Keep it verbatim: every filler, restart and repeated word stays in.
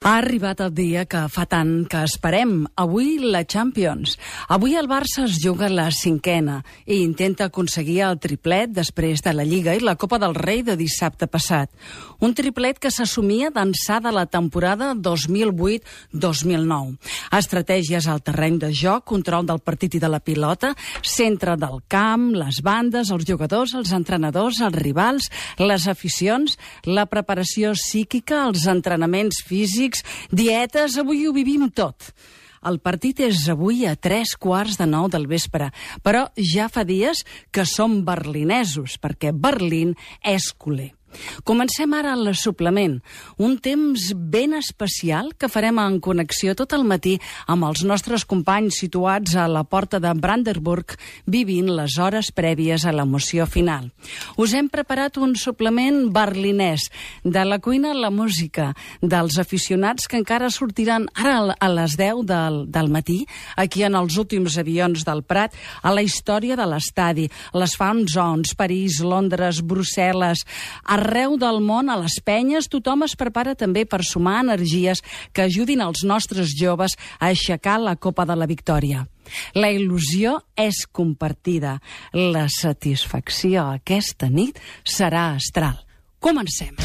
Ha arribat el dia que fa tant que esperem. Avui la Champions. Avui el Barça es juga la cinquena i intenta aconseguir el triplet després de la Lliga i la Copa del Rei de dissabte passat. Un triplet que s'assumia d'ençà de la temporada dos mil vuit dos mil nou. Estratègies al terreny de joc, control del partit i de la pilota, centre del camp, les bandes, els jugadors, els entrenadors, els rivals, les aficions, la preparació psíquica, els entrenaments físics, dietes, avui ho vivim tot. El partit és avui a tres quarts de nou del vespre, però ja fa dies que som berlinesos, perquè Berlín és culer. Comencem ara el suplement, un temps ben especial que farem en connexió tot el matí amb els nostres companys situats a la porta de Brandenburg vivint les hores prèvies a l'emoció final. Us hem preparat un suplement berlinès, de la cuina a la música, dels aficionats que encara sortiran ara a les deu del, del matí, aquí en els últims avions del Prat, a la història de l'estadi, les fan zones, París, Londres, Brussel·les, arreu del món, a les penyes, tothom es prepara també per sumar energies que ajudin els nostres joves a aixecar la Copa de la Victòria. La il·lusió és compartida. La satisfacció aquesta nit serà astral. Comencem.